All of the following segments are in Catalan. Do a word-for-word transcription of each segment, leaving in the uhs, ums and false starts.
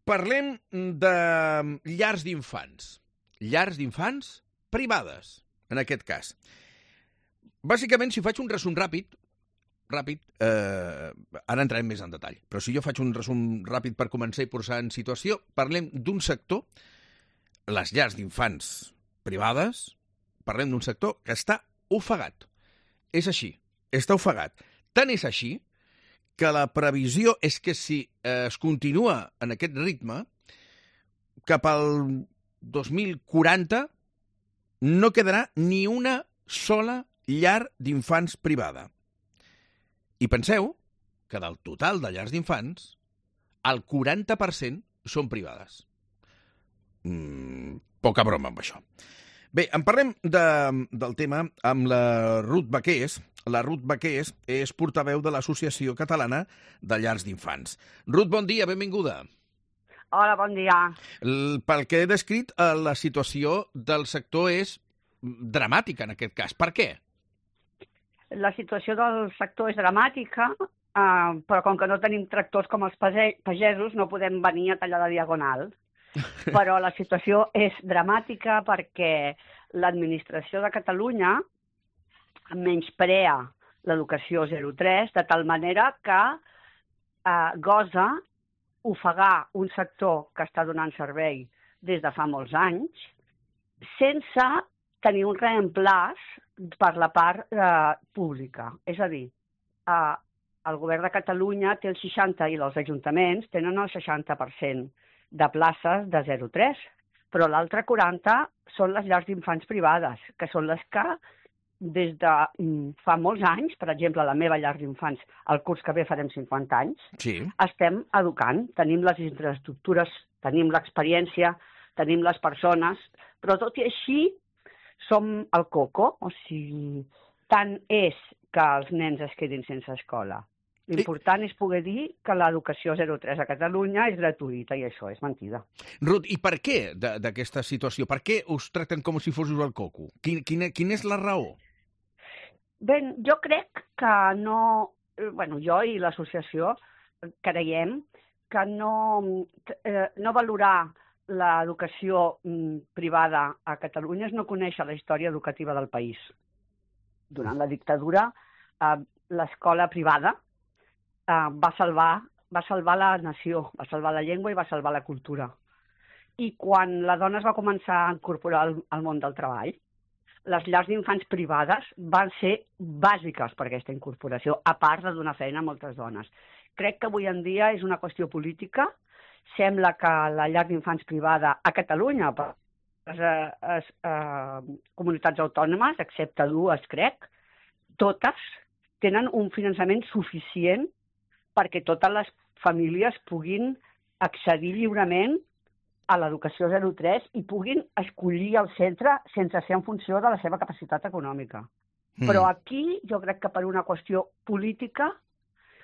Parlem de llars d'infants. Llars d'infants privades, en aquest cas. Bàsicament, si faig un resum ràpid, ràpid, eh, ara entrarem més en detall, però si jo faig un resum ràpid per començar i posar en situació, parlem d'un sector, les llars d'infants privades, parlem d'un sector que està ofegat. És així, està ofegat. Tant és així que la previsió és que si eh, es continua en aquest ritme, cap al dos mil quaranta no quedarà ni una sola llar d'infants privada. I penseu que del total de llars d'infants, el quaranta per cent són privades. Mm, poca broma amb això. Bé, en parlem de, del tema amb la Ruth Baqués. La Ruth Baqués és portaveu de l'Associació Catalana de Llars d'Infants. Ruth, bon dia, benvinguda. Hola, bon dia. El, pel que he descrit, la situació del sector és dramàtica en aquest cas. Per què? La situació del sector és dramàtica, eh, però com que no tenim tractors com els pagesos, no podem venir a tallar la diagonal. Però la situació és dramàtica perquè l'administració de Catalunya menysprea l'educació zero tres de tal manera que eh, gosa ofegar un sector que està donant servei des de fa molts anys sense tenir un reemplaç per la part eh, pública. És a dir, eh, el govern de Catalunya té el seixanta i els ajuntaments tenen el seixanta per cent de places de zero tres, però l'altre quaranta són les llars d'infants privades, que són les que des de fa molts anys, per exemple, la meva llar d'infants, el curs que ve farem cinquanta anys, sí. Estem educant, tenim les infraestructures, tenim l'experiència, tenim les persones, però tot i així som el coco, o sigui, tant és que els nens es quedin sense escola. L'important és poder dir que l'educació zero tres a Catalunya és gratuïta i això és mentida. Ruth, i per què d'aquesta situació? Per què us tracten com si fóssiu el coco? Quin, quina, quina és la raó? Bé, jo crec que no... Bueno, jo i l'associació creiem que no, eh, no valorar l'educació privada a Catalunya és no conèixer la història educativa del país. Durant la dictadura, eh, l'escola privada Uh, va salvar, va salvar la nació, va salvar la llengua i va salvar la cultura. I quan la dona es va començar a incorporar al, al món del treball, les llars d'infants privades van ser bàsiques per aquesta incorporació, a part de donar feina a moltes dones. Crec que avui en dia és una qüestió política. Sembla que la llar d'infants privada a Catalunya, per les eh, eh, comunitats autònomes, excepte dues, crec, totes tenen un finançament suficient perquè totes les famílies puguin accedir lliurement a l'educació zero tres i puguin escollir el centre sense ser en funció de la seva capacitat econòmica. Mm. Però aquí jo crec que per una qüestió política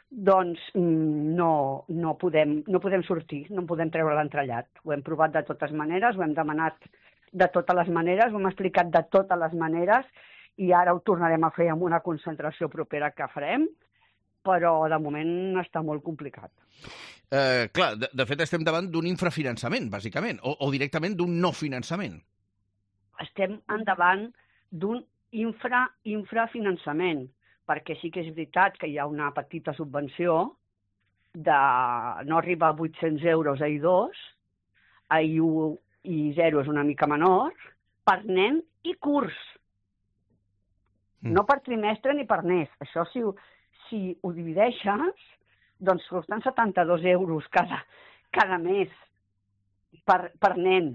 doncs no, no, podem, no podem sortir, no podem treure l'entrellat. Ho hem provat de totes maneres, ho hem demanat de totes les maneres, ho hem explicat de totes les maneres i ara ho tornarem a fer amb una concentració propera que farem, però de moment està molt complicat. Eh, clar, de, de fet estem davant d'un infrafinançament, bàsicament, o, o directament d'un no finançament. Estem endavant d'un infra, infrafinançament, perquè sí que és veritat que hi ha una petita subvenció de no arriba a vuit-cents euros a I dos, a I u i zero és una mica menor, per nen i curs. Mm. No per trimestre ni per mes. Això sí, si ho divideixes, doncs costen setanta-dos euros cada, cada mes per, per nen.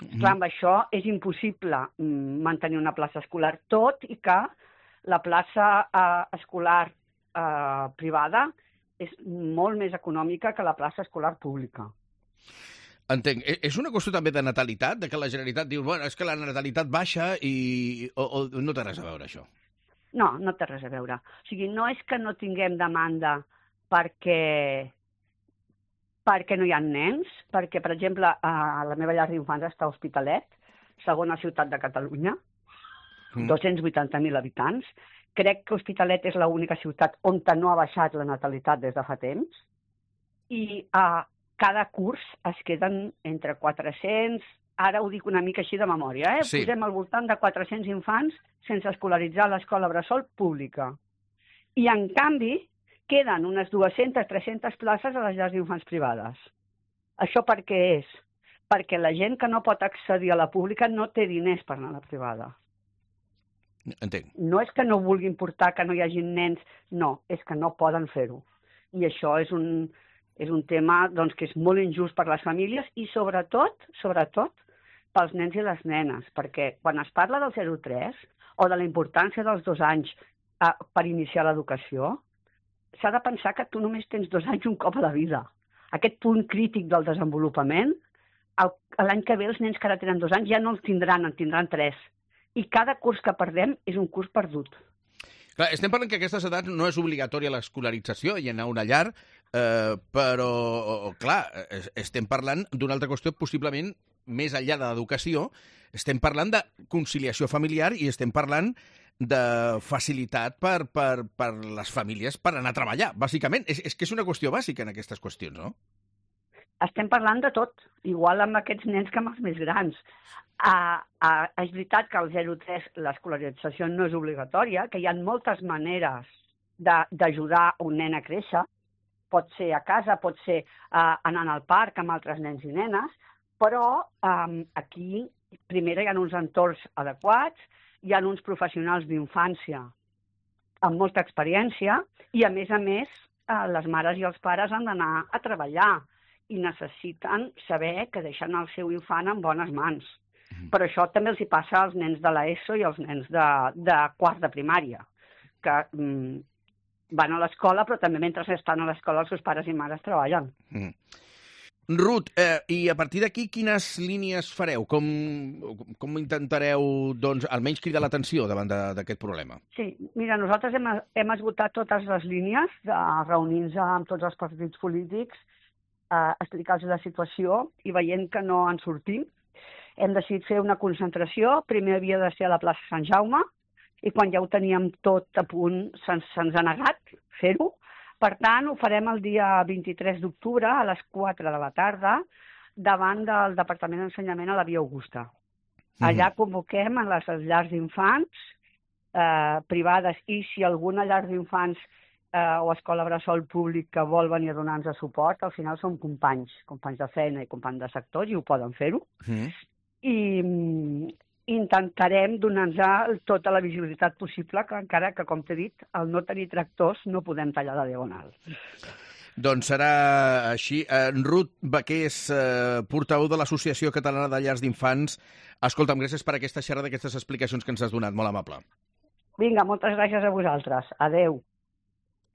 Mm. Clar, amb això és impossible mantenir una plaça escolar, tot i que la plaça eh, escolar eh, privada és molt més econòmica que la plaça escolar pública. Entenc. És una qüestió també de natalitat, de que la Generalitat diu, bueno, és que la natalitat baixa i o, o no té res a veure això? No, no té res a veure. O sigui, no és que no tinguem demanda perquè, perquè no hi ha nens, perquè, per exemple, a la meva llar d'infants està a Hospitalet, segona ciutat de Catalunya, mm. dos-cents vuitanta mil habitants. Crec que Hospitalet és l'única ciutat on no ha baixat la natalitat des de fa temps. I a cada curs es queden entre quatre-cents, ara ho dic una mica així de memòria, eh? Sí. Posem al voltant de quatre-cents infants sense escolaritzar a l'escola bressol pública. I, en canvi, queden unes dues-centes tres-centes places a les llars d'infants privades. Això per què és? Perquè la gent que no pot accedir a la pública no té diners per anar a la privada. Entenc. No és que no vulguin portar, que no hi hagi nens, no, és que no poden fer-ho. I això és un, és un tema doncs, que és molt injust per les famílies i sobretot, sobretot, pels nens i les nenes, perquè quan es parla del zero tres o de la importància dels dos anys eh, per iniciar l'educació, s'ha de pensar que tu només tens dos anys un cop a la vida. Aquest punt crític del desenvolupament, l'any que ve els nens que ara tenen dos anys ja no els tindran, en tindran tres. I cada curs que perdem és un curs perdut. Clar, estem parlant que a aquestes edats no és obligatòria l'escolarització i anar a una llar, eh, però, clar, estem parlant d'una altra qüestió possiblement més enllà de l'educació, estem parlant de conciliació familiar i estem parlant de facilitat per, per, per les famílies per anar a treballar, bàsicament. És, és que és una qüestió bàsica en aquestes qüestions, no? Estem parlant de tot, igual amb aquests nens que amb els més grans. Uh, uh, és veritat que al zero tres l'escolarització no és obligatòria, que hi ha moltes maneres d'ajudar un nen a créixer. Pot ser a casa, pot ser uh, anant al parc amb altres nens i nenes, però um, aquí, primer, hi ha uns entorns adequats, hi ha uns professionals d'infància amb molta experiència i, a més a més, uh, les mares i els pares han d'anar a treballar i necessiten saber que deixen el seu infant en bones mans. Mm. Però això també els hi passa als nens de l'ESO i als nens de, de quart de primària, que mm, van a l'escola, però també mentre estan a l'escola els seus pares i mares treballen. Mm. Ruth, eh, i a partir d'aquí quines línies fareu? Com, com intentareu, doncs, almenys cridar l'atenció davant d'aquest problema? Sí, mira, nosaltres hem, hem esgotat totes les línies de reunir-nos amb tots els partits polítics, eh, explicar-los la situació i veient que no en sortim, hem decidit fer una concentració. Primer havia de ser a la plaça Sant Jaume i quan ja ho teníem tot a punt se'ns se ha negat fer-ho. Per tant, ho farem el dia vint-i-tres d'octubre a les quatre de la tarda davant del Departament d'Ensenyament a la Via Augusta. Allà convoquem a les llars d'infants eh, privades i si alguna llar d'infants eh, o escola bressol públic que vol venir a donar-nos suport, al final som companys, companys de feina i companys de sectors i ho poden fer-ho. Mm. I intentarem donar-nos tota la visibilitat possible, que encara que, com t'he dit, al no tenir tractors no podem tallar la diagonal. Doncs serà així. En Ruth Baqués, eh, portaveu de l'Associació Catalana de Llars d'Infants. Escolta'm, gràcies per aquesta xerrada, aquestes explicacions que ens has donat. Molt amable. Vinga, moltes gràcies a vosaltres. Adeu.